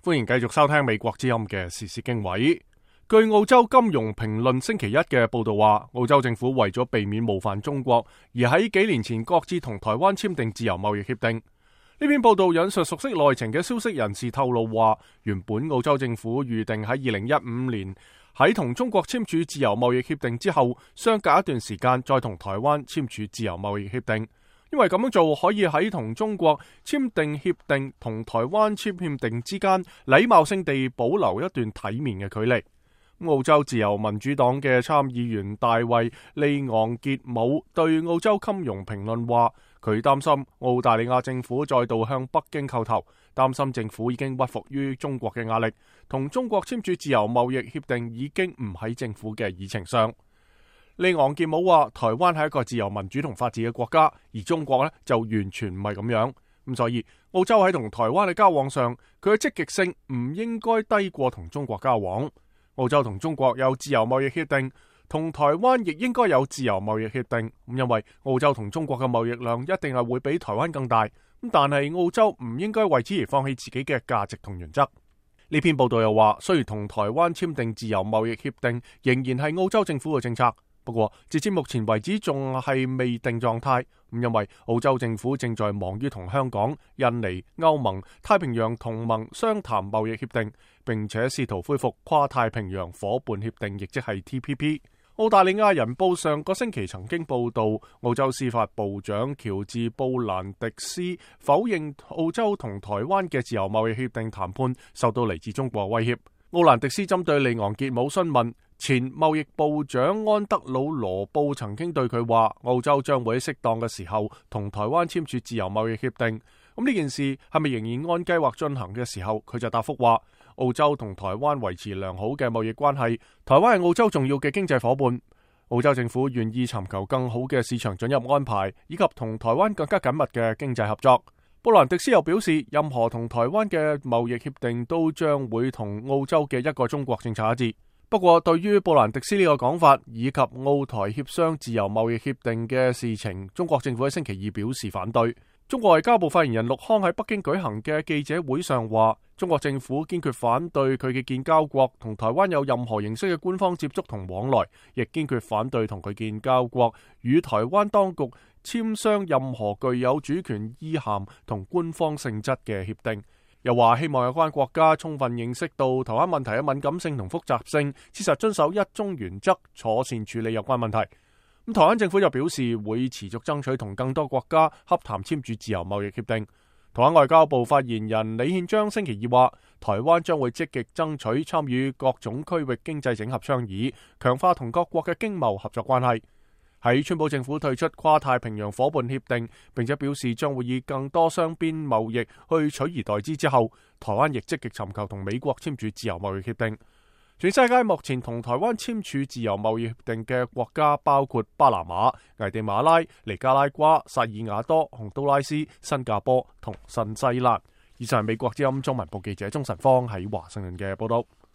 歡迎繼續收聽美國之音嘅時事經緯。據澳洲金融評論星期一嘅報道話，澳洲政府為咗避免冒犯中國，而喺幾年前各自同台灣簽訂自由貿易協定。呢篇報道引述熟悉內情嘅消息人士透露話，原本澳洲政府預定喺2015年喺同中國簽署自由貿易協定之後，相隔一段時間再同台灣簽署自由貿易協定。因為咁樣做可以喺同中國簽訂協定同台灣簽協定之間禮貌性地保留一段體面嘅距離。澳洲自由民主黨嘅參議員大衛利昂傑姆對澳洲金融評論話，佢擔心澳大利亞政府再度向北京叩頭，擔心政府已經屈服於中國嘅壓力，同中國簽署自由貿易協定已經唔喺政府嘅議程上。利昂傑姆話，台灣係一個自由民主同法治嘅國家，而中國呢就完全唔係咁樣。咁所以澳洲喺同台灣嘅交往上，佢嘅積極性唔應該低過同中國交往。澳洲同中國有自由貿易協定，同台灣亦應該有自由貿易協定。因為澳洲同中國嘅貿易量一定係會比台灣更大。但係澳洲唔應該為此而放棄自己嘅價值同原則。呢篇報道又話，雖然同台灣簽訂自由貿易協定，仍然係澳洲政府嘅政策。不過，截至目前為止仲係未定狀態，因為澳洲政府正在忙於同香港、印尼、歐盟、太平洋同盟商談貿易協定，並且試圖恢復跨太平洋夥伴協定，亦即係 TPP。澳大利亞人報上個星期曾經報道，澳洲司法部長喬治布蘭迪斯否認澳洲同台灣嘅自由貿易協定談判受到嚟自中國威脅。奧蘭迪斯針對利昂傑姆詢問，前貿易部長安德魯羅布曾經對佢話，澳洲將會喺適當嘅時候同台灣簽署自由貿易協定。咁呢件事係咪仍然按計劃進行嘅時候，佢就答覆話，澳洲同台灣維持良好嘅貿易關係，台灣係澳洲重要嘅經濟夥伴。澳洲政府願意尋求更好嘅市場准入安排，以及同台灣更加緊密嘅經濟合作。布蘭迪斯又表示，任何同台灣嘅貿易協定都將會同澳洲嘅一個中國政策一致。不過，對於布蘭迪斯呢個講法，以及澳台協商自由貿易協定嘅事情，中國政府喺星期二表示反對。中國外交部發言人陸康喺北京舉行嘅記者會上話，中國政府堅決反對佢嘅建交國同台灣有任何形式嘅官方接觸同往來，亦堅決反對同佢建交國與台灣當局簽商任何具有主權意涵同官方性質嘅協定。又話希望有關國家充分認識到台灣問題嘅敏感性同複雜性，切實遵守一中原則，妥善處理有關問題。台灣政府又表示會持續爭取同更多國家洽談簽署自由貿易協定。台灣外交部發言人李憲章星期二話，台灣將會積極爭取參與各種區域經濟整合倡議，強化同各國嘅經貿合作關係。喺川普政府退出跨太平洋夥伴協定，並且表示將會以更多雙邊貿易去取而代之之後，台灣亦積極尋求同美國簽署自由貿易協定。全世界目前同台灣簽署自由貿易協定嘅國家包括巴拿馬、危地馬拉、尼加拉瓜、薩爾瓦多、洪都拉斯、新加坡同新西蘭。以上係美國之音中文部記者鍾晨芳喺華盛頓嘅報道。